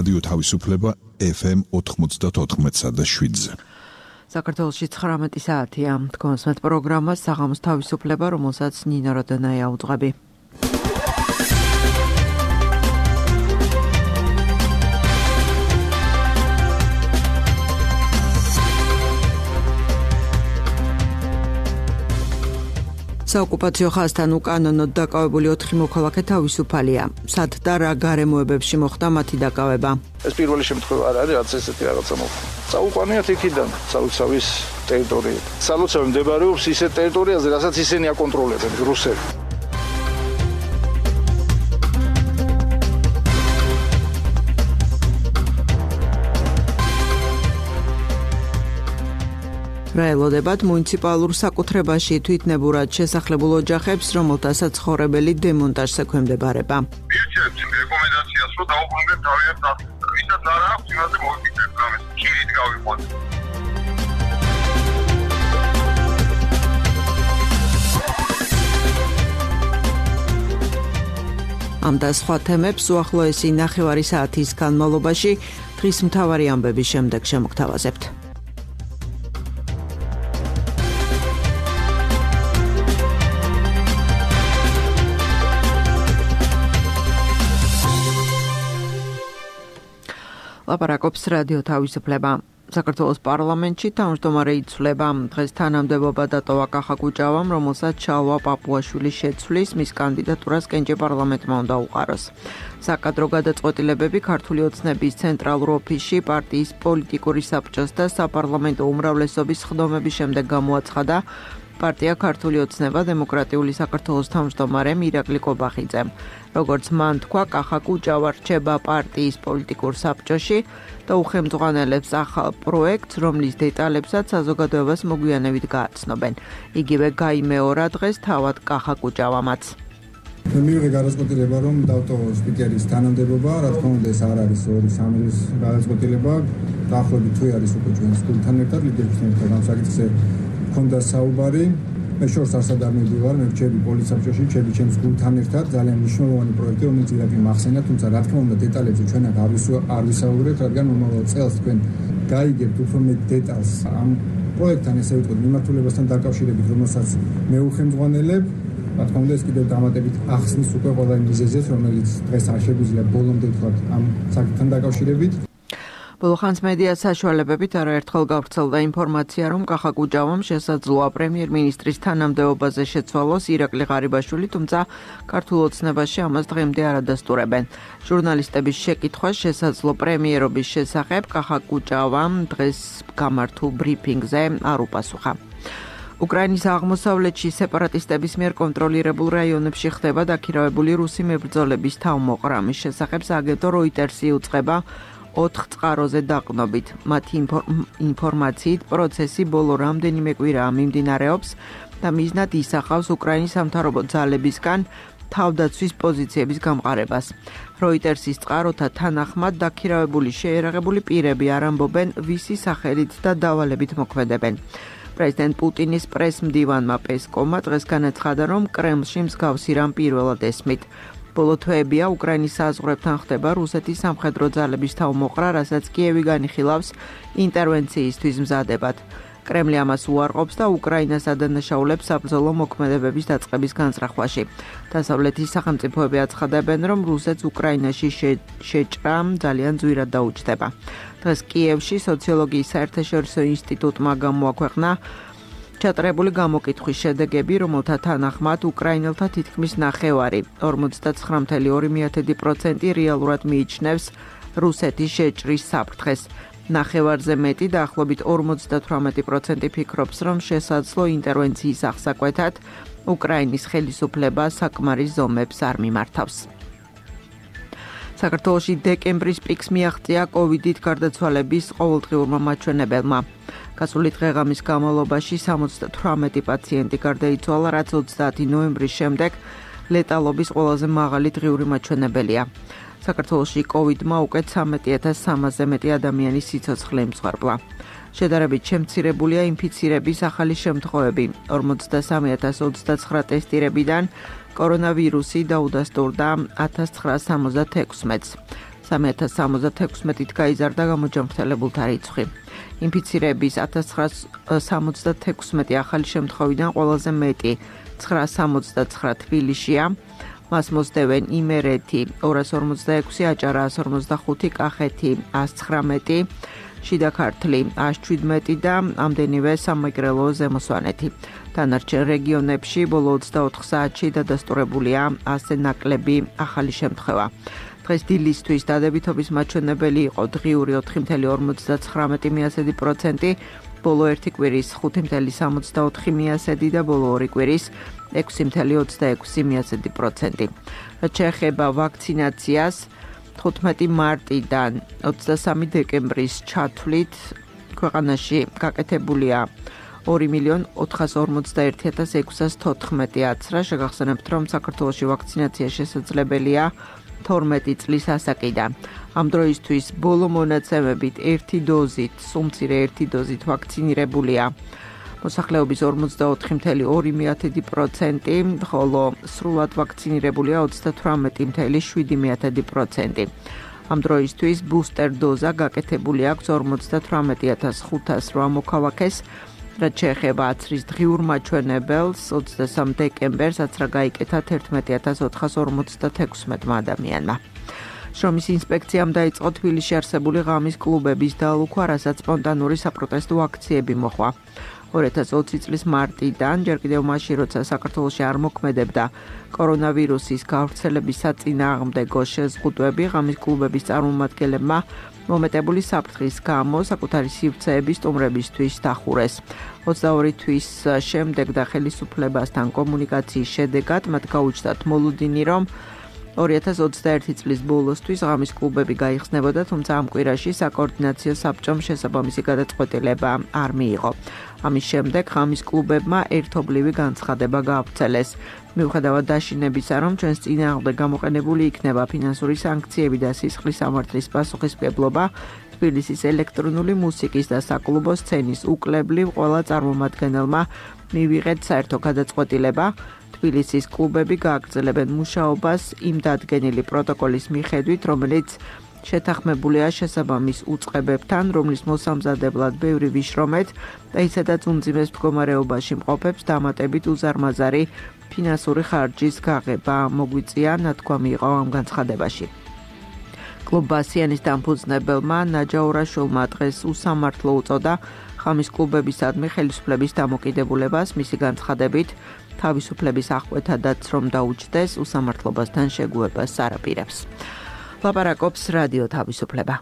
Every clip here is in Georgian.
რადიო თავისუფლება FM 94.7-ზე. საქართველოში 19 საათია. თქვენს პროგრამას საღამოს თავისუფლება, რომელსაც ნინო როდანაია უძღვები. საოკუპაციო ხაზთან უკანონოდ დაკავებული 4 მოქალაქე თავისუფალია. სად და რა გარემოებებში მოხდა მათი დაკავება? ეს პირველი შემთხვევა არ არის, რაც ესეთი რაღაცა მოხდა. წაუყვანიათ იქიდან სალოცავის ტერიტორია. სალოცავი მდებარეობს ისეთ ტერიტორიაზე, რასაც ისინი აკონტროლებენ, რუსები. რაელოდებათ მუნიციპალურ საკუთრებაში თვითნებურად შესახლებულ ოჯახებს, რომელთა საცხოვრებელი დემონტაჟს ექვემდებარება. მივცემთ რეკომენდაციას, რომ დაუბრუნდეთ თავიანთ დასახლებას. ვისაც არ აქვს, იმაზე მოვიფიქრებთ რამეს. ქირით გავიყვანთ. ამ და სხვა თემებს უახლოესი 9 საათის განმავლობაში დღის მთავარი ამბების შემდეგ შემოგთავაზებთ. ლაპარაკობს რადიო თავისუფლება. საქართველოს პარლამენტში თავმჯდომარე იცვლება. დღეს თანამდებობა დატოვა კახაკუჭავამ, რომელსაც ჩალვა პაპუაშვილი შეცვლის, მის კანდიდატურას კენჭი პარლამენტმა უნდა უყაროს. საკადრო გადაწყვეტილებები ქართული ოცნების ცენტრალურ ოფისში პარტიის პოლიტიკური საბჭოს და საპარლამენტო უმრავლესობის სხდომების შემდეგ გამოაცხადა პარტია ქართული ოცნება დემოკრატიული საქართველოს თავმჯდომარემ ირაკლი კობახიძემ. როგორც მან თქვა, კახაკუჭავა რჩება პარტიის პოლიტიკურ საბჭოში და უხელმძღვანელებს ახალ პროექტს, რომლის დეტალებსაც საზოგადოებას მოგვიანებით გააცნობენ. იგივე გაიმეორა დღეს თავად კახაკუჭავამაც. მივიღე გადაწყვეტილება, რომ დავტოვო სპიკერის თანამდებობა, რა თქმა უნდა ეს არ არის 2-3 გადაწყვეტილება, დაახლოებით თუ არის უკვე ჩვენს გუნდთან ერთად, ლიდერებთან ერთად ამ საკითხზე მქონდა საუბარი. მე შორს არსად არ მივდივარ, მე ვჩები პოლიცსაბჭოში, ვჩები ჩემს გუნდთან ერთად, ძალიან მნიშვნელოვანი პროექტი, რომელიც ირაკლი მახსენა, თუმცა რა თქმა უნდა დეტალებზე ჩვენ არ ვისაუბრებთ, რადგან მომავალ წელს თქვენ გაიგებთ უფრო მეტ დეტალს ამ პროექტთან, ესე ვიტყვით, მიმართულებასთან დაკავშირებით, რომელსაც მე უხელმძღვანელებ. რა თქმა უნდა ეს კიდევ დამატებით ახსნის უკვე ყველა მიზეზებს, რომელიც დღეს არ შეგვიძლია ბოლომდე ვთქვათ ამ საკითხთან დაკავშირებით. ბოლო ხანს მედია საშუალებებით არაერთხელ გავრცელდა ინფორმაცია, რომ კახაკუჭავამ შესაძლოა პრემიერ-მინისტრის თანამდებობაზე შეცვალოს ირაკლი ღარიბაშვილი, თუმცა ქართულ ოცნებაში ამას დღემდე არ ადასტურებენ. ჟურნალისტების შეკითხვას შესაძლო პრემიერობის შესახებ კახაკუჭავამ დღეს გამართულ ბრიფინგზე არ უპასუხა. უკრაინის აღმოსავლეთში სეპარატისტების მიერ კონტროლირებულ რაიონებში ხდება დაქირავებული რუსი მებრძოლების თავმოყრა. მის შესახებ სააგენტო როიტერსი იუწყება 4 წყაროზე დაყნობით. მათი ინფორმაციით პროცესი ბოლო რამდენიმე კვირაა მიმდინარეობს და მიზნად ისახავს უკრაინის სამთავრობო ძალებისგან თავდაცვის პოზიციების გამყარებას. როიტერსის წყაროთა თანახმად დაქირავებული შეიარაღებული პირები არ ამბობენ ვისი სახელით და დავალებით მოქმედებენ. პრეზიდენტ პუტინის პრესმდივანმა პესკოვმა დღეს განაცხადა, რომ კრემლში მსგავსი რამ პირველად ესმით. ბოლო თვეებია უკრაინის საზღვრებთან ხდება რუსეთის სამხედრო ძალების თავმოყრა, რასაც კიევი განიხილავს ინტერვენციისთვის მზადებად. კრემლი ამას უარყოფს და უკრაინას ადანაშაულებს საბრძოლო მოქმედებების დაწყების განზრახვაში. დასავლეთის სახელმწიფოები აცხადებენ, რომ რუსეთს უკრაინაში შეჭრა ძალიან ძვირად დაუჯდება. დღეს კიევში სოციოლოგიის საერთაშორისო ინსტიტუტმა გამოაქვეყნა ჩატარებული გამოკითხვის შედეგები, რომელთა თანახმად უკრაინელთა თითქმის 9/10, 49.2% რეალურად მიიჩნევს რუსეთის შეჭრის საფრთხეს. 9/10-ზე მეტი, დაახლოებით 58% ფიქრობს, რომ შესაძლო ინტერვენციის აღსაკვეთად უკრაინის ხელისუფლება საკმარის ზომებს არ მიმართავს. საქართველოში დეკემბრის პიკს მიაღწია კოვიდით გარდაცვალების ყოველდღიურმა მაჩვენებელმა. გასული დღეღამის განმავლობაში 78 პაციენტი გარდაიცვალა, რაც 30 ნოემბრის შემდეგ ლეტალობის ყველაზე მაღალი დღიური მაჩვენებელია. საქართველოში კოვიდმა უკვე 13,300-ზე მეტი ადამიანის სიცოცხლე იმსხვერპლა. შედარებით შემცირებულია ინფიცირების ახალი შემთხვევები. 43,029 ტესტირებიდან კორონავირუსი დაუდასტურდა 1976-ს. 3076-ით გაიზარდა გამოჯანმრთელებულთა რიცხვი. ინფიცირების 1976 ახალი შემთხვევიდან ყველაზე მეტი 969 თბილისშია. მას მოსდევენ იმერეთი 246, აჭარა 145, კახეთი 119, შიდა ქართლი 117 და ამდენივე სამეგრელო ზემო სვანეთი. დანარჩენ რეგიონებში ბოლო 24 საათში დადასტურებულია 100 ნაკლები ახალი შემთხვევა. დღეს დილისთვის დადებითობის მაჩვენებელი იყო დღიური 4,59%, ბოლო ერთი კვირის 5,64% და ბოლო ორი კვირის 6,26%. რაც შეეხება ვაქცინაციას, 15 მარტიდან 23 დეკემბრის ჩათვლით ქვეყანაში გაკეთებულია 2,451,614 აცრა. შეგახსენებთ, რომ საქართველოში ვაქცინაცია შესაძლებელია 12 წლის ასაკიდან. ამ დროისთვის ბოლო მონაცემებით ერთი დოზით, სულ-მცირე ერთი დოზით ვაქცინირებულია მოსახლეობის 44,2%, ხოლო სრულად ვაქცინირებულია 38,7%. ამ დროისთვის ბუსტერ დოზა გაკეთებული აქვს 58,508 მოქალაქეს. რაც შეეხება აცრის დღიურ მაჩვენებელს, 23 დეკემბერს აცრა გაიკეთა 11,456 ადამიანმა. შრომის ინსპექციამ დაიწყო თბილისში არსებული ღამის კლუბების დალუქვა, რასაც სპონტანური საპროტესტო აქციები მოჰყვა. 2020 წლის მარტიდან, ჯერ კიდევ მაშინ, როცა საქართველოში არ მოქმედებდა კორონავირუსის გავრცელების საწინააღმდეგო შეზღუდვები, ღამის კლუბების წარმომადგენლებმა მომეტებული საფრთხის გამო საკუთარი სივრცეების სტუმრებისთვის დახურეს. 22 თვის შემდეგ და ხელისუფლებასთან კომუნიკაციის შედეგად მათ გაუჩნდათ მოლოდინი, რომ 2021 წლის ბოლოსთვის ღამის კლუბები გაიხსნებოდა, თუმცა ამ კვირაში საკოორდინაციო საბჭომ შესაბამისი გადაწყვეტილება არ მიიღო. ამის შემდეგ ღამის კლუბებმა ერთობლივი განცხადება გაავრცელეს. მიუხედავად დაშინებისა, რომ ჩვენს წინააღმდეგ გამოყენებული იქნება ფინანსური სანქციები და სისხლის სამართლის პასუხისმგებლობა, თბილისის ელექტრონული მუსიკის და საკლუბო სცენის უკლებლივ ყველა წარმომადგენელმა მივიღეთ საერთო გადაწყვეტილება. თბილისის კლუბები გააგრძელებენ მუშაობას იმ დადგენილი პროტოკოლის მიხედვით, რომელიც შეთანხმებულია შესაბამის უწყებებთან, რომლის მოსამზადებლად ბევრი ვიშრომეთ და ისედაც უმძიმეს მდგომარეობაში მყოფებს დამატებით უზარმაზარი ფინანსური ხარჯის გაღება მოგვიწია, ნათქვამი იყო ამ განცხადებაში. კლუბ ბასიანის დამფუძნებელმა ნაჯაურაშვილმა დღეს უსამართლო უწოდა ღამის კლუბებისადმი ხელისუფლების დამოკიდებულებას, მისი განცხადებით თავისუფლების აღკვეთადაც რომ დაუჯდეს, უსამართლობასთან შეგუებას არ აპირებს. ლაპარაკობს რადიო თავისუფლება.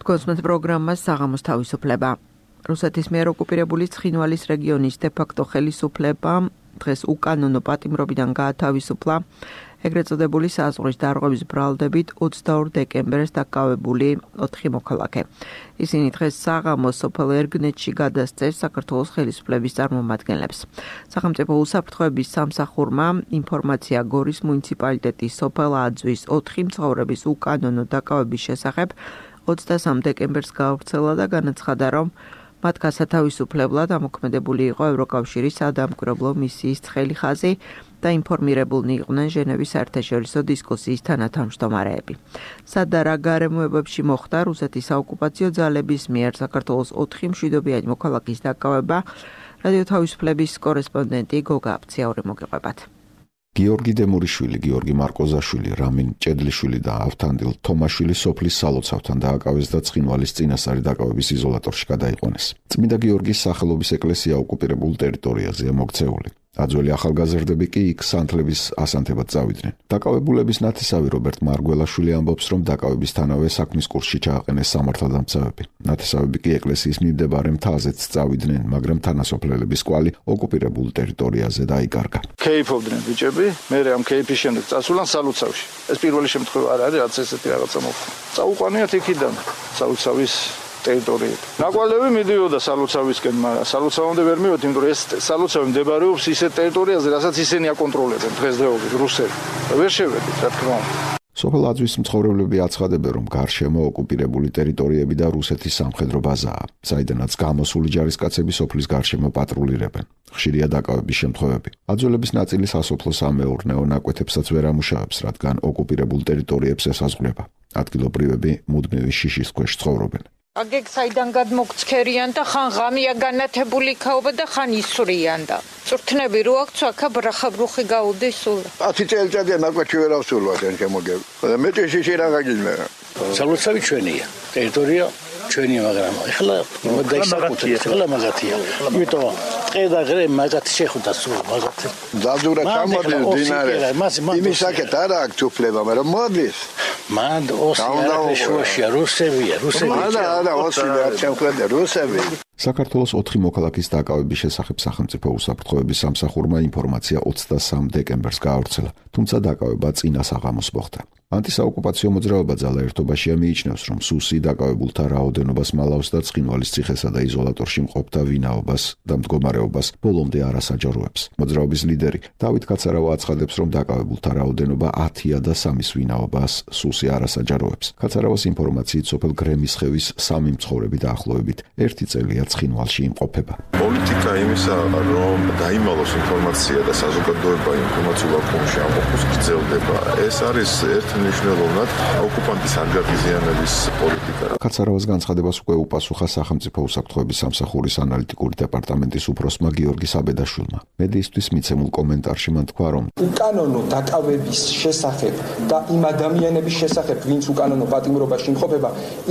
კონსმეთ პროგრამას საღამოს თავისუფლება. რუსეთის მიერ ოკუპირებული ცხინვალის რეგიონის დე-ფაქტო ხელისუფლება დღეს უკანონო პატიმრობიდან გაათავისუფლა ეგრეთ წოდებული საზღვრის დარღვევის ბრალდებით 22 დეკემბერს დაკავებული 4 მოქალაქე. ისინი დღეს საღამოს სოფელ ერგნეთში გადასცეს საქართველოს ხელისუფლების წარმომადგენლებს. სახელმწიფო უსაფრთხოების სამსახურმა ინფორმაცია გორის მუნიციპალიტეტის სოფელ აძვის 4 მცხოვრების უკანონო დაკავების შესახებ 23 დეკემბერს გაავრცელა და განაცხადა, რომ მათ გასათავისუფლებლად ამოქმედებული იყო ევროკავშირის სადამკვირვებლო მისიის ცხელი ხაზი და ინფორმირებულნი იყვნენ ჟენევის საერთაშორისო დისკუსიის თანათავმჯდომარეები. სად და რა გარემოებებში მოხდა რუსეთის საოკუპაციო ძალების მიერ საქართველოს 4 მშვიდობიანი მოქალაქის დაკავება, რადიო თავისუფლების კორესპონდენტი გოგა აფციაური მოგიყვებათ. გიორგი დემურიშვილი, გიორგი მარკოზაშვილი, რამინ ჭედლიშვილი და ავთანდილ თომაშვილი სოფლის სალოცავთან დააკავეს და ცხინვალის წინასწარი დაკავების იზოლატორში გადაიყვანეს. წმინდა გიორგის სახელობის ეკლესია ოკუპირებულ ტერიტორიაზეა მოქცეული. აძველი ახალგაზრდები კი იქ სანთლების ასანთებად წავიდნენ. დაკავებულების ნათესავი რობერტ მარგველაშვილი ამბობს, რომ დაკავებისთანავე საქმის კურსში ჩააყენეს სამართალდამცავები. ნათესავები კი ეკლესიის მიმდებარე მთაზეც წავიდნენ, მაგრამ თანასოფლელების კვალი ოკუპირებულ ტერიტორიაზე დაიკარგა. ქეიფობდნენ ბიჭები, მე ამ ქეიფის შემდეგ წასულან სალოცავში. ეს პირველი შემთხვევა არ არის, რაც ესეთი რაღაცა მოხდა. წაუყვანიათ იქიდან სალოცავის ტერიტორიები. ნაკვალევი მიდიოდა სალოცავისკენ, მაგრამ სალოცავამდე ვერ მივედი, იმიტომ რომ ეს სალოცავი მდებარეობს ისეთ ტერიტორიაზე, რასაც ისინი აკონტროლებენ დღესდღეობით რუსები. ვერ შევედით, რა თქმა უნდა. სოფელ აძვის მცხოვრებლები აცხადებენ, რომ გარშემო ოკუპირებული ტერიტორიები და რუსეთის სამხედრო ბაზაა, საიდანაც გამოსული ჯარისკაცები სოფლის გარშემო პატრულირებენ. ხშირია დაკავების შემთხვევები. აძველების ნაწილი სასოფლო-სამეურნეო ნაკვეთებსაც ვერ ამუშავებს, რადგან ოკუპირებულ ტერიტორიებს ესაზღვრება. ადგილობრივები მუდმივი შიშის ქვეშ ცხოვრობენ. აგეგ საიდან გადმოგცქერიან და ხან ღამია განათებული ქაობა და ხან ისვრიან და წვრთნები რო აქვს აქა ბრახაბრუხი გაუდის სულ 10 წელიწადია ნაკვეთში ვერ ავსულვათ ან შემოგებ მეტი შიში რა გაგიჟნა სალოცავი ჩვენია ტერიტორია ჩვენია მაგრამ ეხლა დაისაკუთრე ეხლა მაგათია იმიტომ ტყე და ღრე მაგათი შეხვდა სულ მაგათი დაძურა ჩამოდის დინარე იმის საკეთ არა აქვს უფლება მაგრამ მოდის მან ოსია რუსებია არა ოსია ჩემქვეყნე რუსები საქართველოს 4 მოქალაქის დაკავების შესახებ სახელმწიფო უსაფრთხოების სამსახურმა ინფორმაცია 23 დეკემბერს გაავრცელა, თუმცა დაკავება წინა საღამოს მოხდა. ანტისაოკუპაციო მოძრაობა ძალა ერთობაშია მიიჩნევს, რომ სუსი დაკავებულთა რაოდენობას მალავს და ცხინვალის ციხესა და იზოლატორში მყოფთა ვინაობას და მდგომარეობას ბოლომდე არ ასაჯაროებს. მოძრაობის ლიდერი დავით კაცარავა აცხადებს, რომ დაკავებულთა რაოდენობა 10-ია და 3-ის ვინაობას სუსი არ ასაჯაროებს. კაცარავას ინფორმაციით სოფელ გრემისხევის 3 მცხოვრები დაახლოებით 1 წელია ცხინვალში იმყოფება. პოლიტიკა იმისა, რომ დაიმალოს ინფორმაცია და საზოგადოება ინფორმაციულ აკუმულში ამოხოს გრძელდება. ეს არის ერთმნიშვნელოვნად ოკუპანტის ანგარიზიანების პოლიტიკა. კაცარავას განცხადებას უკვე უპასუხა სახელმწიფო უსაფრთხოების სამსახურის ანალიტიკური დეპარტამენტის უფროსმა გიორგი საბედაშვილმა. მედიისთვის მიცემულ კომენტარში მან თქვა, რომ უკანონო დაკავების შესახებ და იმ ადამიანების შესახებ, ვინც უკანონო პატიმრობაში იმყოფება,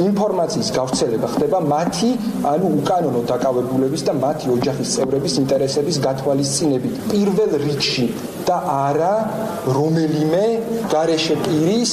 ინფორმაციის გავრცელება ხდება მათი, ანუ უკანონო დაკავებულების და მათი ოჯახის წევრების ინტერესების გათვალისწინებით. პირველ რიგში და არა რომელიმე გარეშე პირის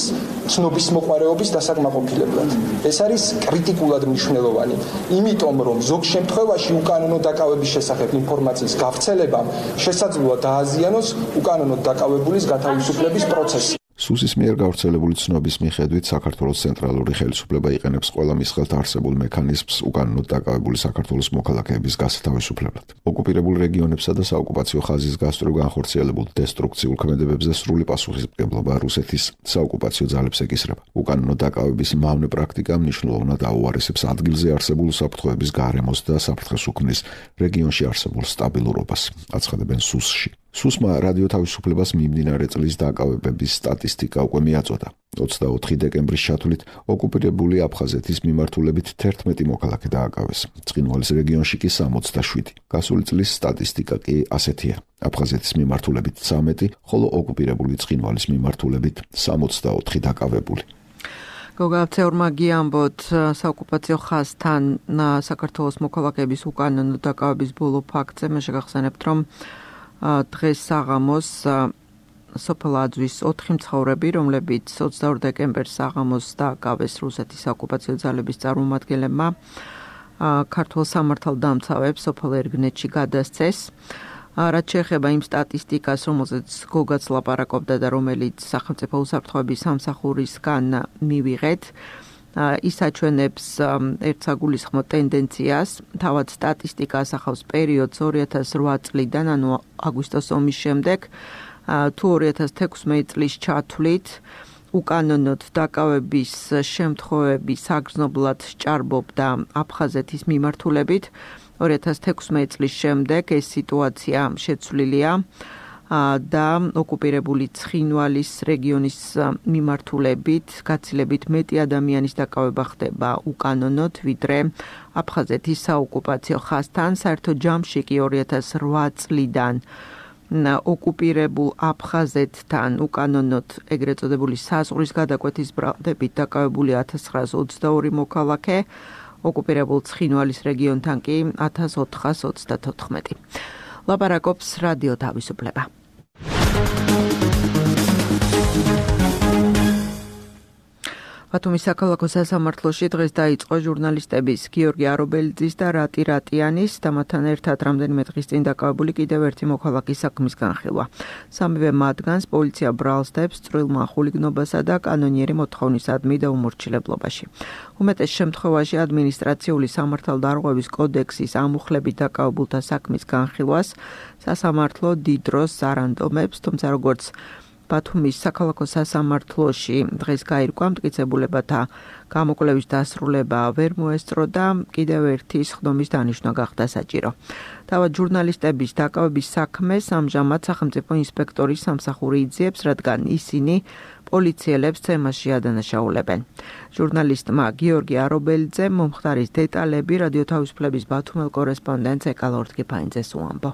ცნობის მოყარეობის დასაკმაყოფილებლად. ეს არის კრიტიკულად მნიშვნელოვანი, იმიტომ რომ ზოგ შემთხვევაში უკანონო დაკავების შესახებ ინფორმაციის გავრცელებამ შესაძლოა დააზიანოს უკანონო დაკავებულის გათავისუფლების პროცესი. სუსის მიერ გავრცელებული ცნობის მიხედვით საქართველოს ცენტრალური ხელისუფლება იყენებს ყველა მის ხელთ არსებულ მექანიზმს უკანონოდ დაკავებული საქართველოს მოქალაქეების გასათავისუფლებლად. ოკუპირებულ რეგიონებსა და საოკუპაციო ხაზის გასწვრივ განხორციელებულ დესტრუქციულ ქმედებებზე სრული პასუხისმგებლობა რუსეთის საოკუპაციო ძალებს ეკისრება. უკანონო დაკავების მავნე პრაქტიკა მნიშვნელოვნად აუარესებს ადგილზე არსებულ უსაფრთხოების გარემოს და საფრთხეს უქმნის რეგიონში არსებულ სტაბილურობას, აცხადებენ სუსში. სუსმა რადიო თავისუფლებას მიმდინარე წლის დაკავებების სტატისტიკა უკვე მიაწოდა. 24 დეკემბრის ჩათვლით ოკუპირებული აფხაზეთის მიმართულებით 11 მოქალაქე დააკავეს. ცხინვალის რეგიონში კი 67. გასული წლის სტატისტიკა კი ასეთია. აფხაზეთის მიმართულებით 13, ხოლო ოკუპირებული ცხინვალის მიმართულებით 64 დაკავებული. გოგავცეურმა გიამბოთ საოკუპაციო ხაზთან საქართველოს მოქალაქეების უკანონო დაკავების ბოლო ფაქტზე მე შეგახსენებთ, რომ დღეს საღამოს სოფელ აძვის 4 მცხოვრები, რომლებიც 22 დეკემბერს საღამოს დააკავეს რუსეთის საოკუპაციო ძალების წარმომადგენლებმა, ქართულ სამართალდამცავებს სოფელ ერგნეთში გადასცეს. რაც შეეხება იმ სტატისტიკას, რომელზეც გოგაც ლაპარაკობდა და რომელიც სახელმწიფო უსაფრთხოების სამსახურისგან მივიღეთ, ის აჩვენებს ერთსაგულისხმო ტენდენციას. თავად სტატისტიკა ასახავს პერიოდს 2008 წლიდან, ანუ აგვისტოს ომის შემდეგ, თუ 2016 წლის ჩათვლით უკანონოდ დაკავების შემთხვევები საგრძნობლად სჭარბობდა აფხაზეთის მიმართულებით. 2016 წლის შემდეგ ეს სიტუაცია შეცვლილია და ოკუპირებული ცხინვალის რეგიონის მიმართულებით გაცილებით მეტი ადამიანის დაკავება ხდება უკანონოდ, ვიდრე აფხაზეთის საოკუპაციო ხაზთან. საერთოდ ჯამში კი 2008 წლიდან ოკუპირებულ აფხაზეთთან უკანონოდ ეგრეთ წოდებული საზღვრის გადაკვეთის ბრალდებით დაკავებული 1922 მოქალაქე, ოკუპირებულ ცხინვალის რეგიონთან კი 1434. ლაპარაკობს რადიო თავისუფლება. ბათუმის საქალაქო სასამართლოში დღეს დაიწყო ჟურნალისტების გიორგი არობელიძის და რატი რატიანის და მათთან ერთად რამდენიმე დღის წინ დაკავებული კიდევ ერთი მოქალაქის საქმის განხილვა. სამივე მათგანს პოლიცია ბრალს დებს წვრილმა ხულიგნობასა და კანონიერი მოთხოვნისადმი და უმორჩილებლობაში. უმეტეს შემთხვევაში ადმინისტრაციული სამართალდარღვევის კოდექსის ამუხლებით დაკავებულთა საქმის განხილვას სასამართლო დიდ დროს არ ანდომებს, თუმცა როგორც ბათუმის საქალაქო სასამართლოში დღეს გაირკვა მტკიცებულებათა გამოკვლევის დასრულება ვერ მოესწრო და კიდევ ერთი სხდომის დანიშვნა გახდა საჭირო. თავად ჟურნალისტების დაკავების საქმეს ამჟამად სახელმწიფო ინსპექტორის სამსახური იძიებს, რადგან ისინი პოლიციელებს თემაში ადანაშაულებენ. ჟურნალისტმა გიორგი არობელიძემ მომხდარის დეტალები რადიო თავისუფლების ბათუმელ კორესპონდენტს ეკალორდ კიფაინძეს უამბო.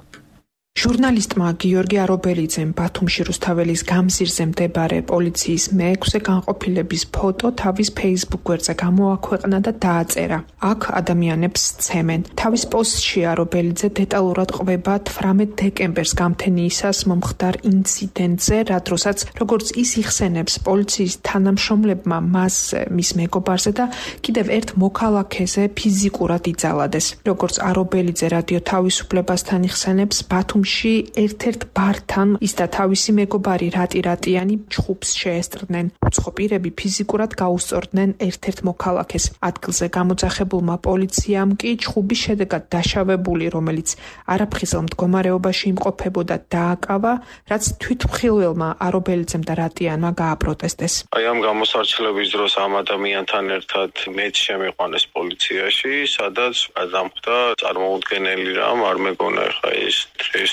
ჟურნალისტმა გიორგი არობელიძემ ბათუმში რუსთაველის გამზირზე მდებარე პოლიციის მე-6 განყოფილების ფოტო თავის Facebook გვერდზე გამოაქვეყნა და დააწერა. აქ ადამიანებს ცემენ. თავის პოსტში არობელიძე დეტალურად ყვება 18 დეკემბერს გამთენიისას მომხდარ ინციდენტზე, რა დროსაც როგორც ის იხსენებს პოლიციის თანამშრომლებმა მას მის მეგობარზე და კიდევ ერთ მოქალაქეზე ფიზიკურად იძალადეს. როგორც არობელიძე რადიო თავისუფლებასთან იხსენებს, ბათუმში ერთ-ერთ ბართან ის და თავისი მეგობარი რატირატიანი ჩხუბს შეესწრდნენ. უცხო პირები ფიზიკურად გაუსწორდნენ ერთ-ერთ მოქალაქეს. ადგილზე გამოძახებულმა პოლიციამ კი ჩხუბის შედეგად დაშავებული, რომელიც არაფხიზელ მდგომარეობაში იმყოფებოდა, დააკავა, რაც თვითმხილველმა არობელიძემ და რატიანმა გააპროტესტეს. აი ამ გამოსარჩელების დროს ამ ადამიანთან ერთად მეც შემიყვანეს პოლიციაში, სადაც გადამხდა წარმოუდგენელი რამ, არ მეგონა ხა ეს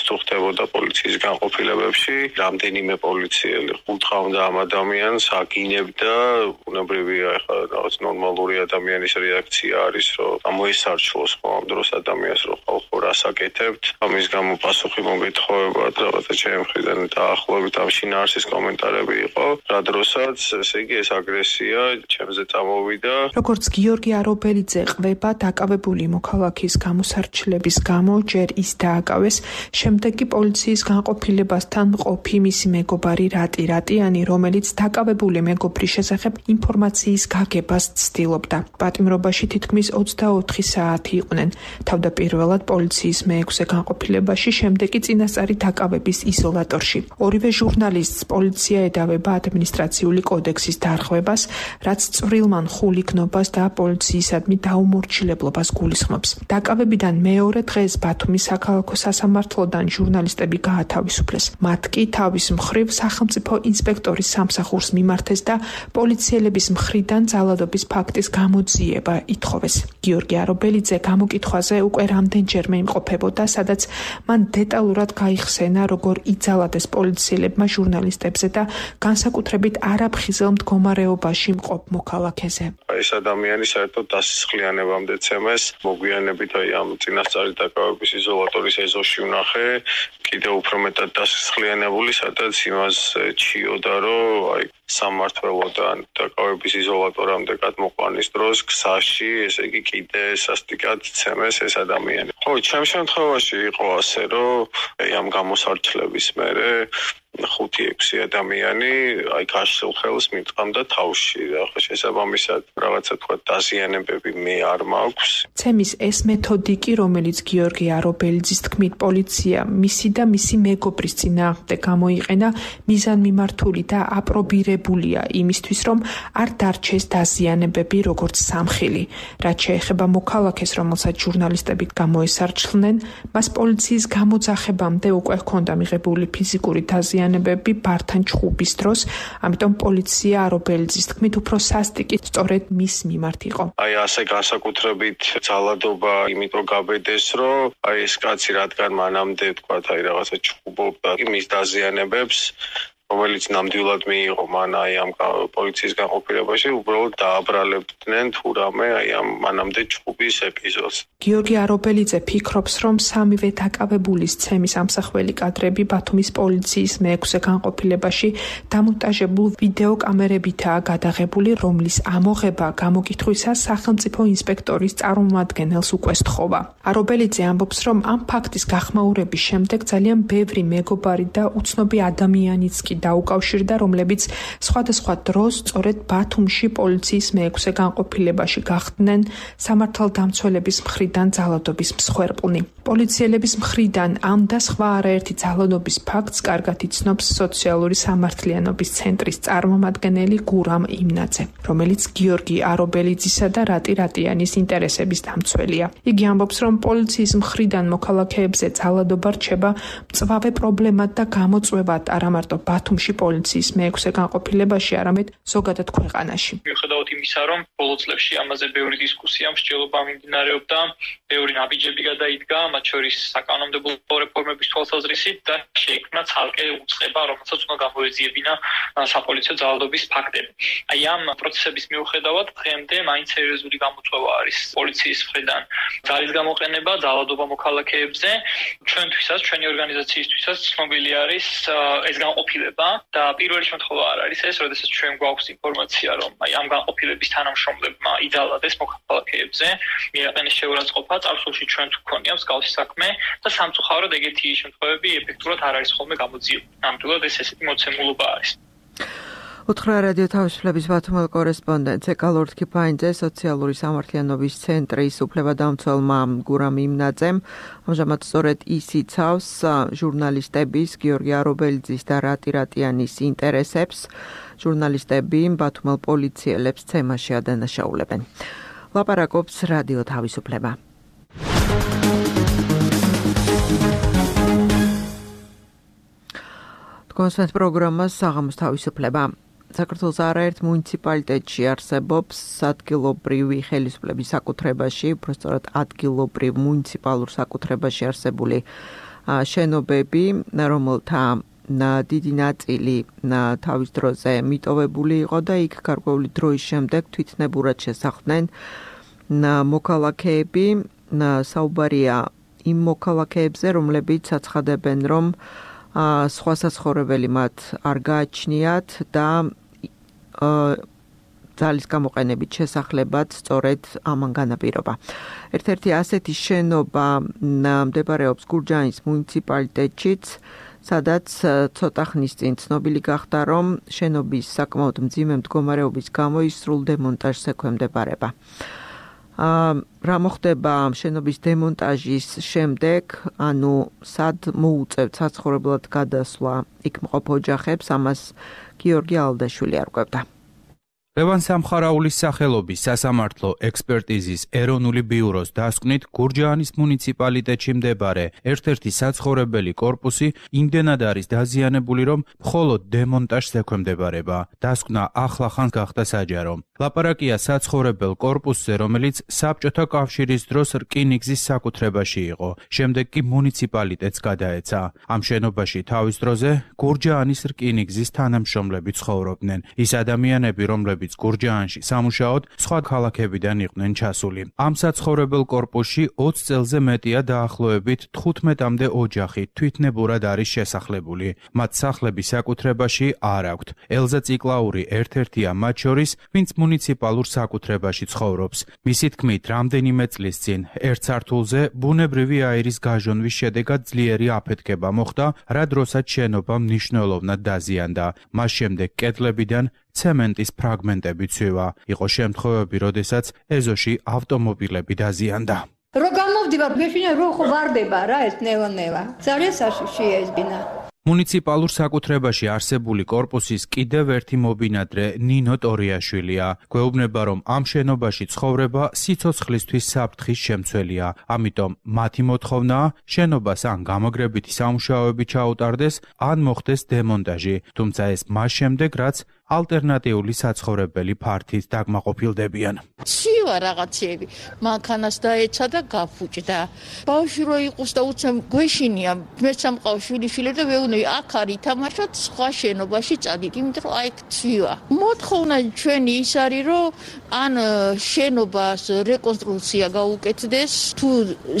თუ ხდებოდა პოლიციის განყოფილებებში, რამდენიმე პოლიციელი ხუთხავდა ამ ადამიანს, აგინებდა, უნებრივია ხა რაღაც ნორმალური ადამიანის რეაქცია არის, რომ გამოესარჩლოს ხო ამ დროს ადამიანს, რომ ხალხო რას აკეთებთ, ამის გამო პასუხი მოგეთხოვებათ, რაღაცა ჩემი მხრიდან დაახლოებით ამ შინაარსის კომენტარები იყო, რა დროსაც ესე იგი ეს აგრესია ჩემზე წამოვიდა. როგორც გიორგი არობელიძე ყვება, დაკავებული მოქალაქის გამოსარჩლების გამო ჯერ ის დააკავეს, შემდეგ კი პოლიციის განყოფილებასთან ყოფი მისი მეგობარი რატიანი, რომელიც დაკავებული მეგობრის შესახებ ინფორმაციის გაგებას ცდილობდა. პატიმრობაში თითქმის 24 საათი იყვნენ. თავდაპირველად პოლიციის მე-6 განყოფილებაში, შემდეგ კი წინასწარი დაკავების იზოლატორში. ორივე ჟურნალისტს პოლიცია ედავება ადმინისტრაციული კოდექსის დარღვევას, რაც წვრილმან ხულიკნობას და პოლიციისადმი დაუმორჩილებლობას გულისხმობს. დაკავებიდან მეორე დღეს ბათუმის საქალაქო სასამართლოდან ჟურნალისტები გაათავისუფლეს. მათ კი თავის მხრივ სახელმწიფო ინსპექტორის სამსახურს მიმართეს და პოლიციელების მხრიდან ძალადობის ფაქტის გამოძიება ითხოვეს. გიორგი არობელიძე გამოკითხვაზე უკვე რამდენჯერმე იმყოფებოდა, სადაც მან დეტალურად გაიხსენა, როგორ იძალადეს პოლიციელებმა ჟურნალისტებზე და განსაკუთრებით არაფხიზელ მდგომარეობაში მყოფ მოქალაქეზე. ეს ადამიანი საერთოდ დასისხლიანებამდე ცემეს, მოგვიანებით აი ამ წინასწარი დაკავების იზოლატორის ეზოში ვნახე, კიდევ უფრო მეტად დასისხლიანებული, სადაც იმას ჩიოდა, რომ აი სამმართველოდან დაკავების იზოლატორამდე გადმოყვანის დროს გზაში, ესე იგი კიდე სასტიკად ცემეს ეს ადამიანი. ხო, ჩემ შემთხვევაში იყო ასე, რომ აი ამ გამოსარჩლების მერე 5-6 ადამიანი აი გაშლილ ხელს მიტყამდა თავში და ხო შესაბამისად რაღაცა თქვა დაზიანებები მე არ მაქვს. ცემის ეს მეთოდი კი, რომელიც გიორგი არობელიძის თქმით პოლიცია მისი და მისი მეგობრის წინააღმდეგ გამოიყენა, მიზანმიმართული და აპრობირებულია იმისთვის, რომ არ დარჩეს დაზიანებები როგორც სამხილი. რაც შეეხება მოქალაქეს, რომელსაც ჟურნალისტები გამოესარჩლნენ, მას პოლიციის გამოძახებამდე უკვე ჰქონდა მიღებული ფიზიკური დაზიანებები ბართან ჩხუბის დროს, ამიტომ პოლიცია არობელიძის თქმით უფრო სასტიკი სწორედ მის მიმართ იყო. აი ასე განსაკუთრებით ძალადობა იმიტომ გაბედეს, რომ აი ეს კაცი რადგან მანამდე თქვა აი რაღაცა ჩხუბობდა მის დაზიანებებს, რომელიც ნამდვილად მიიღო მან აი ამ პოლიციის განყოფილებაში, უბრალოდ დააბრალებდნენ თუ რამე აი ამ მანამდე ჩხუბის ეპიზოდს. გიორგი არობელიძე ფიქრობს, რომ სამივე დაკავებულის ცემის ამსახველი კადრები ბათუმის პოლიციის მე-6 განყოფილებაში დამონტაჟებულ ვიდეო კამერებითაა გადაღებული, რომლის ამოღება გამოკითხვისას სახელმწიფო ინსპექტორის წარმომადგენელს უკვე სთხოვა. არობელიძე ამბობს, რომ ამ ფაქტის გახმაურების შემდეგ ძალიან ბევრი მეგობარი და უცნობი ადამიანიც კი დაუკავშირდა, რომლებიც სხვადასხვა დროს სწორედ ბათუმში პოლიციის მე-6 განყოფილებაში გახდნენ სამართალდამცველების მხრიდან ძალადობის მსხვერპლნი. პოლიციელების მხრიდან ამ და სხვა არაერთი ძალადობის ფაქტს კარგად იცნობს სოციალური სამართლიანობის ცენტრის წარმომადგენელი გურამ იმნაძე, რომელიც გიორგი არობელიძისა და რატიანის ინტერესების დამცველია. იგი ამბობს, რომ პოლიციის მხრიდან მოქალაქეებზე ძალადობა რჩება მწვავე პრობლემად და გამოწვევად არა მარტო ბათუმში პოლიციის მე-6 განყოფილებაში, არამედ ზოგადად ქვეყანაში. მიუხედავად იმისა, რომ ბოლო წლებში ამაზე ბევრი დისკუსია, მსჯელობა მიმდინარეობდა, ბევრი ნაბიჯები გადაიდგა, მათ შორის საკანონმდებლო რეფორმების თვალსაზრისით და შეიქმნა ცალკე უწყება, რომელსაც უნდა გამოეძიებინა საპოლიციო ძალადობის ფაქტები. აი ამ პროცესების მიუხედავად დღემდე მაინც სერიოზული გამოწვევა არის პოლიციის მხრიდან ძალის გამოყენება, ძალადობა მოქალაქეებზე. ჩვენთვისაც, ჩვენი ორგანიზაციისთვისაც ცნობილი არის ეს განყოფილება და პირველი შემთხვევა არ არის ეს, როდესაც ჩვენ გვაქვს ინფორმაცია, რომ აი ამ განყოფილების თანამშრომლებმა იძალადეს მოქალაქეებზე, მიაყენეს შეურაცხყოფა, წარსულში ჩვენ თუ გქონია მსგავსი საქმე და სამწუხაროდ ეგეთი შემთხვევები ეფექტურად არ არის ხოლმე გამოძიებული. ნამდვილად ეს ესეთი მოცემულობა არის. უთხრა რადიო თავისუფლების ბათუმელ კორესპონდენტს ეკალორდ ქიფაინძე სოციალური სამართლიანობის ცენტრის უფლებადამცველმა გურამ იმნაძემ ამჟამად სწორედ ის იცავს ჟურნალისტების გიორგი არობელიძის და რატი რატიანის ინტერესებს. ჟურნალისტები ბათუმელ პოლიციელებს ცემაში ადანაშაულებენ. ლაპარაკობს რადიო თავისუფლება. კონსვენს პროგრამას საღამოს თავისუფლება. საქართველოს არაერთ მუნიციპალიტეტში არსებობს ადგილობრივი ხელისუფლების საკუთრებაში, უბრალოდ ადგილობრივ მუნიციპალურ საკუთრებაში არსებული შენობები, რომელთა დიდი ნაწილი თავის დროზე მიტოვებული იყო და იქ გარკვეული დროის შემდეგ თვითნებურად შესახლდნენ მოქალაქეები. საუბარია იმ მოქალაქეებზე, რომლებიც აცხადებენ, რომ სხვა საცხოვრებელი მათ არ გააჩნიათ და ძალის გამოყენებით შესახლებად სწორედ ამან განაპირობა. ერთ-ერთი ასეთი შენობა მდებარეობს გურჯაანის მუნიციპალიტეტშიც, სადაც ცოტა ხნის წინ ცნობილი გახდა, რომ შენობის საკმაოდ მძიმე მდგომარეობის გამო ის სრულ დემონტაჟს ექვემდებარება. რა მოხდება შენობის დემონტაჟის შემდეგ, ანუ სად მოუწევთ საცხოვრებლად გადასვლა იქ მყოფ ოჯახებს, ამას გიორგი ალდაშვილი არკვევდა. ლევან სამხარაულის სახელობის სასამართლო ექსპერტიზის ეროვნული ბიუროს დასკვნით გურჯაანის მუნიციპალიტეტში მდებარე ერთ-ერთი საცხოვრებელი კორპუსი იმდენად არის დაზიანებული, რომ მხოლოდ დემონტაჟს ექვემდებარება. დასკვნა ახლახანს გახდა საჯარო. ლაპარაკია საცხოვრებელ კორპუსზე, რომელიც საბჭოთა კავშირის დროს რკინიგზის საკუთრებაში იყო. შემდეგ კი მუნიციპალიტეტს გადაეცა. ამ შენობაში თავის დროზე გურჯაანის რკინიგზის თანამშრომლები ცხოვრობდნენ. ის ადამიანები, რომლებიც გურჯაანში სამუშაოდ სხვა ქალაქებიდან იყვნენ ჩასული. ამ საცხოვრებელ კორპუსში 20 წელზე მეტია დაახლოებით 15-მდე ოჯახი თვითნებურად არის შესახლებული. მათ სახლები საკუთრებაში არ აქვთ. ელზა ციკლაური ერთ-ერთია მათ შორის, ვინც მუნიციპალურ საკუთრებაში ცხოვრობს. მისი თქმით, რამდენიმე წლის წინ ერთ სართულზე ბუნებრივი აირის გაჟონვის შედეგად ძლიერი აფეთქება მოხდა, რა დროსაც შენობა მნიშვნელოვნად დაზიანდა. მას შემდეგ კედლებიდან ცემენტის ფრაგმენტები ცვივა. იყო შემთხვევები, როდესაც ეზოში ავტომობილები დაზიანდა. რო გამოვდივარ, მეშინა რო ხო ვარდება რა ეს ნევა. ძალიან საშიშია ეს ბინა. მუნიციპალურ საკუთრებაში არსებული კორპუსის კიდევ ერთი მობინადრე ნინო ტორიაშვილია. გვეუბნება, რომ ამ შენობაში ცხოვრება სიცოცხლისთვის საფრთხის შემცველია. ამიტომ მათი მოთხოვნაა შენობას ან გამაგრებითი სამუშაოები ჩაუტარდეს, ან მოხდეს დემონტაჟი. თუმცა ეს მას შემდეგ, რაც ალტერნატიული საცხოვრებელი ფართით დაგმაყოფილდებიან. ცივა რაღაცები, მანქანას დაეცა და გაფუჭდა. ბავშვი რო იყოს და უცებ გვეშინია, მე სამყაო შვილიშვილები და ვეუბნები, აქ არის თამაშოთ სხვა შენობაში წადით, იმიტომ რომ აი ცივა. მოთხოვნა ჩვენი ის არის, რომ ან შენობას რეკონსტრუქცია გაუკეთდეს, თუ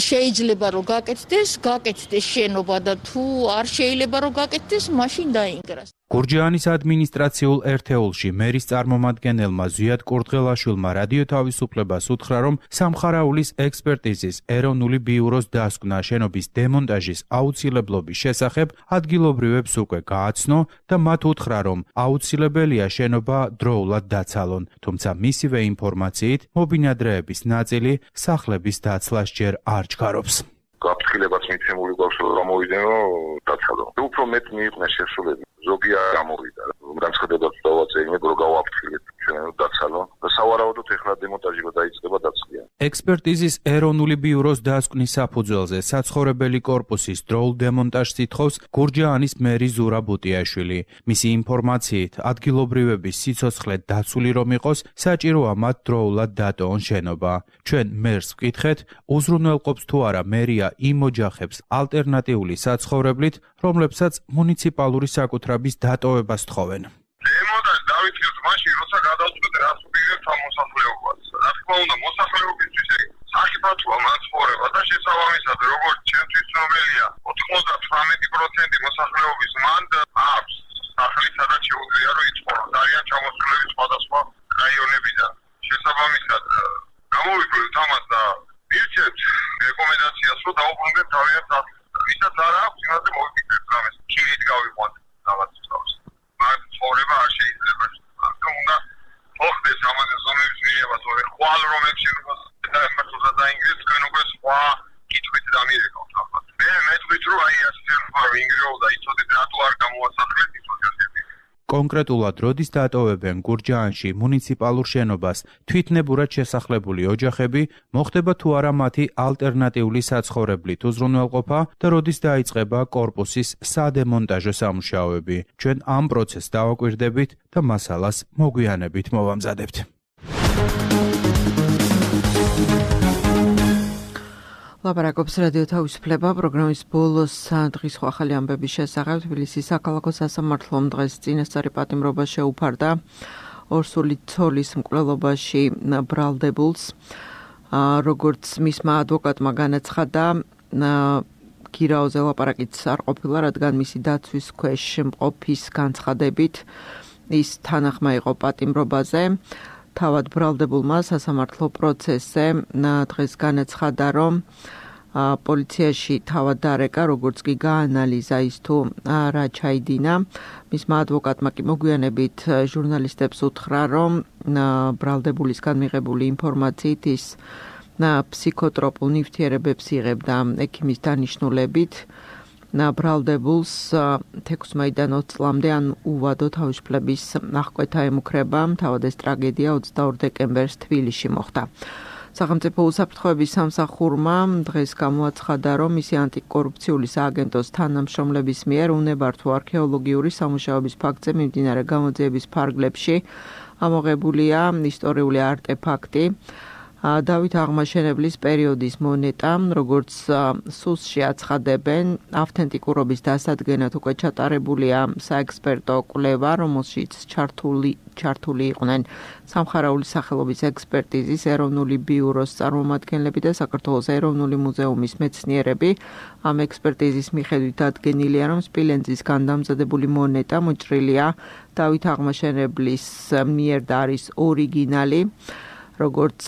შეიძლება რომ გაკეთდეს შენობა და თუ არ შეიძლება რომ გაკეთდეს, მაშინ დაინგრას. გურჯაანის ადმინისტრაციულ ერთეულში მერის წარმომადგენელმა ზვიად კურდღელაშვილმა რადიო თავისუფლებას უთხრა, რომ სამხარაულის ექსპერტიზის ეროვნული ბიუროს დასკვნა შენობის დემონტაჟის აუცილებლობის შესახებ ადგილობრივებს უკვე გააცნო და მათ უთხრა, რომ აუცილებელია შენობა დროულად დაცალონ, თუმცა მისივე ინფორმაციით მობინადრეების ნაწილი სახლების დაცლას ჯერ არ ჩქარობს. გაფრთხილებაც მიცემული გვაქვს, რომ გამოვიდნენ, რომ დაცალონ. უფრო მეტ მიიყვნენ შესრულები. ზოგი არ გამოვიდა. განცხადებაც დავაწერინებ, რომ გავაფრთხილეთ ჩვენ დაცალონ და სავარაუდოდ ეხლა დემონტაჟი რო დაიწყება დაცლიან. ექსპერტიზის ეროვნული ბიუროს დასკვნის საფუძველზე საცხოვრებელი კორპუსის დროულ დემონტაჟს ითხოვს გურჯაანის მერი ზურა ბუტიაშვილი. მისი ინფორმაციით, ადგილობრივების სიცოცხლე დაცული რომ იყოს, საჭიროა მათ დროულად დატოვონ შენობა. ჩვენ მერს ვკითხეთ, უზრუნველყოფს თუ არა მერია იმ ოჯახებს ალტერნატიული საცხოვრებლით, რომლებსაც მუნიციპალური საკუთრების დატოვებას თხოვენ. დემონტაჟი დავითქვით მაშინ, როცა გადავწყვეტ რას ვიღებთ ამ მოსახლეობას. რა თქმა უნდა, მოსახლეობისთვის საკითხია მაცხოვრება და შესაბამისად, როგორც ჩემთვის ცნობილია, 98% მოსახლეობის მანდ აქვს სახლი, სადაც შეუძლია რომ იცხოვროს. არიან ჩამოსულები სხვადასხვა რაიონებიდან. შესაბამისად, გამოვიკვირდით ამას და ვირჩევთ რეკომენდაციას, რომ დაუბრუნდეთ თავიანთ სახლს. ვისაც არ აქვს, იმაზე მოვიფიქრეთ რამეს. ხილით გავიყვანთ რაღაც თავს. მაგრამ ცხოვრება არ შეიძლება. ამიტომ უნდა ოხდეს ამაზე ზომების მიღება, თორე ხვალ რომ ექშენებას და დაინგრეთ თქვენ უკვე სხვა კითხვით დამირეკავთ ახლა. მე მეტყვით რომ აი ასე ვინგრეო და იცოდეთ რატო არ გამოასახლეთ ის ოჯახები. კონკრეტულად როდის დატოვებენ გურჯაანში მუნიციპალურ შენობას თვითნებურად შესახლებული ოჯახები, მოხდება თუ არა მათი ალტერნატიული საცხოვრებლით უზრუნველყოფა და როდის დაიწყება კორპუსის სადემონტაჟო სამუშაოები. ჩვენ ამ პროცესს დავაკვირდებით და მასალას მოგვიანებით მოვამზადებთ. ლაპარაკობს რადიო თავისუფლება პროგრამის ბოლოს დღის ახალი ამბების შესახებ. თბილისის საქალაქო სასამართლომ დღეს წინასწარი პატიმრობა შეუფარდა ორსული ცოლის მკვლელობაში ბრალდებულს. როგორც მისმა ადვოკატმა განაცხადა, გირაოზე ლაპარაკიც არ ყოფილა, რადგან მისი დაცვის ქვეშ მყოფის განცხადებით ის თანახმა იყო პატიმრობაზე. თავად ბრალდებულმა სასამართლო პროცესზე დღეს განაცხადა, რომ პოლიციაში თავად დარეკა, როგორც კი გაანალიზა ის თუ რა ჩაიდინა. მისმა ადვოკატმა კი მოგვიანებით ჟურნალისტებს უთხრა, რომ ბრალდებულისგან მიღებული ინფორმაციით ის ფსიქოტროპულ ნივთიერებებს იღებდა ექიმის დანიშნულებით. ბრალდებულს 16-დან 20 წლამდე ან უვადო თავისუფლების აღკვეთა ემუქრება. თავად ეს ტრაგედია 22 დეკემბერს თბილისში მოხდა. სახელმწიფო უსაფრთხოების სამსახურმა დღეს გამოაცხადა, რომ მისი ანტიკორუფციული სააგენტოს თანამშრომლების მიერ უნებართვო არქეოლოგიური სამუშაოების ფაქტზე მიმდინარე გამოძიების ფარგლებში ამოღებულია ისტორიული არტეფაქტი. დავით აღმაშენებლის პერიოდის მონეტა, როგორც სუსში აცხადებენ, ავთენტიკურობის დასადგენად უკვე ჩატარებულია საექსპერტო კვლევა, რომელშიც ჩართული იყვნენ სამხარაული სახელობის ექსპერტიზის ეროვნული ბიუროს წარმომადგენლები და საქართველოს ეროვნული მუზეუმის მეცნიერები. ამ ექსპერტიზის მიხედვით დადგენილია, რომ სპილენძისგან დამზადებული მონეტა მოჭრილია დავით აღმაშენებლის მიერ და არის ორიგინალი. როგორც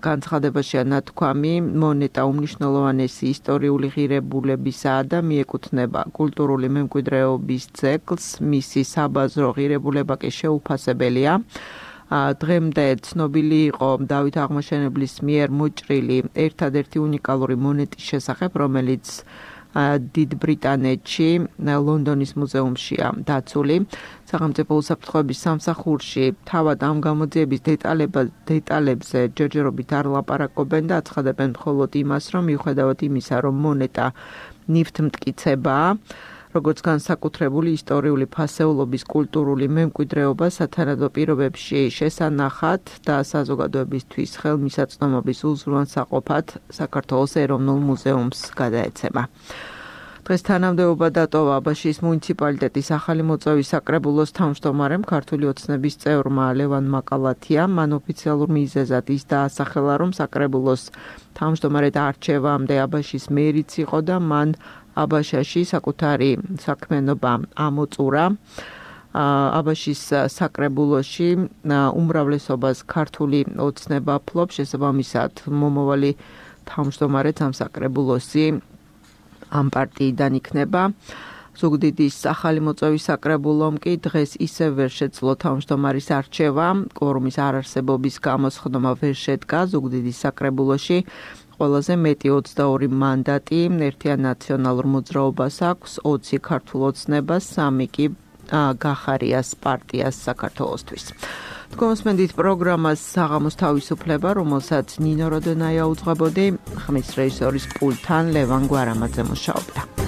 განცხადებაშია ნათქვამი, მონეტა უმნიშვნელოვანესი ისტორიული ღირებულებისაა და მიეკუთვნება კულტურული მემკვიდრეობის ძეგლს, მისი საბაზრო ღირებულება კი შეუფასებელია. დღემდე ცნობილი იყო დავით აღმაშენებლის მიერ მოჭრილი ერთადერთი უნიკალური მონეტის შესახებ, რომელიც დიდ ბრიტანეთში, ლონდონის მუზეუმშია დაცული. სახელმწიფო უსაფრთხოების სამსახურში თავად ამ გამოძიების დეტალებზე ჯერჯერობით არ ლაპარაკობენ და აცხადებენ მხოლოდ იმას, რომ მიუხედავად იმისა, რომ მონეტა ნივთმტკიცებაა, როგორც განსაკუთრებული ისტორიული ფასეულობის კულტურული მემკვიდრეობა სათანადო პირობებში შესანახად და საზოგადოებისთვის ხელმისაწვდომობის უზრუნველსაყოფად საქართველოს ეროვნულ მუზეუმს გადაეცემა. დღეს თანამდებობა დატოვა აბაშის მუნიციპალიტეტის ახალი მოწვევის საკრებულოს თავმჯდომარემ ქართული ოცნების წევრმა ლევან მაკალათიამ. მან ოფიციალურ მიზეზად ის დაასახელა, რომ საკრებულოს თავმჯდომარედ არჩევამდე აბაშის მერიც იყო და მან აბაშაში საკუთარი საქმიანობა ამოწურა. აბაშის საკრებულოში უმრავლესობას ქართული ოცნება ფლობს, შესაბამისად მომავალი თავმჯდომარე ამ საკრებულოსი ამ პარტიიდან იქნება. ზუგდიდის ახალი მოწვევის საკრებულომ კი დღეს ისევ ვერ შეძლო თავმჯდომარის არჩევა. კვორუმის არარსებობის გამო სხდომა ვერ შედგა. ზუგდიდის საკრებულოში ყველაზე მეტი 22 მანდატი ერთიან ნაციონალურ მოძრაობას აქვს, 20 ქართულ ოცნებას, 3 კი გახარიას პარტიას საქართველოსთვის. თქვენსმენდით პროგრამას საღამოს თავისუფლება, რომელსაც ნინო როდონაია უძღვებოდი, ხმის რეჟისორის პულტთან ლევან გვარამაძე მუშაობდა.